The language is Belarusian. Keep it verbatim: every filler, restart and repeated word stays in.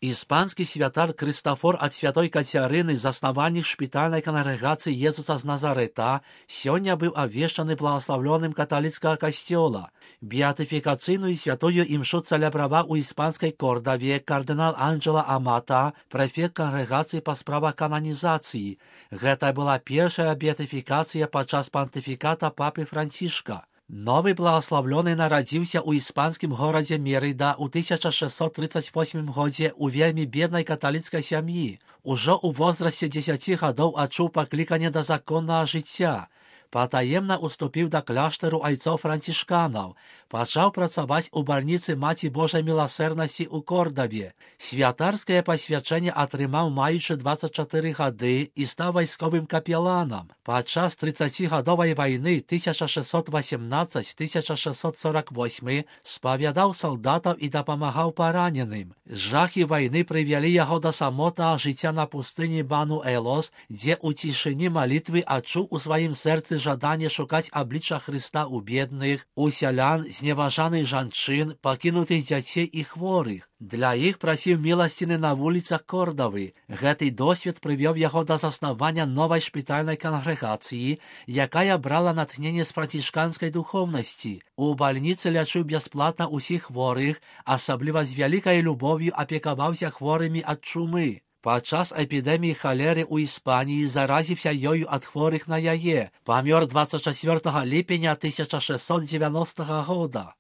Іспанскі святар Крыстафор ад святой Кацярыны, заснавальнік шпітальнай кангрэгацыі Езуса з Назарэта, сёння быў абвешчаны благаслаўлёным каталіцкага касцёла. Беатыфікацыйную святую імшу цэлябраваў у іспанскай Кордаве кардынал Анджела Амата, прэфект кангрэгацыі па справах кананізацыі. Гэта была першая беатыфікацыя падчас пантыфіката папы Францішка. Новы благаслаўлёны нарадзіўся ў іспанскім горадзе Мерыда ў тысяча шэсцьсот трыццаць восьмым годзе ў вельмі беднай каталіцкай сям'і. Ужо ў возрасце дзесяці гадоў адчуў пакліканне да законнага жыцця. Патаемна уступіў да кляштару айцоў францішканаў, пачаў працаваць у бальніцы Маці Божай міласэрнасці ў Кордаве. Святарскае пасвячэнне атрымаў маючы дваццаць чатыры гады і стаў вайсковым капеланам. Падчас трыццацігадовай вайны тысяча шэсцьсот васемнаццаць - тысяча шэсцьсот сорок восьмы спавядаў салдатаў і дапамагаў параненым. Жахі вайны прывялі яго да самотнага жыцця на пустыні Бану-Элос, дзе ў цішыні малітвы адчуў у сваім сэрцы жаданне шукаць аблічча Хрыста ў бедных, у сялян, зневажаных жанчын, пакінутых дзяцей і хворых. Для іх прасіў міласціны на вуліцах Кордавы. Гэты досвед прывёў яго да заснавання новай шпітальнай кангрэгацыі, якая брала натхненне з францішканскай духоўнасці. У бальніцы лячыў бясплатна ўсіх хворых, асабліва з вялікай любов'ю апекаваўся хворымі ад чумы. Падчас эпідэміі халеры ў Іспаніі заразіўся ёю ад хворых на яе. Памёр дваццаць чацвёртага ліпеня тысяча шэсцьсот дзевяностага года.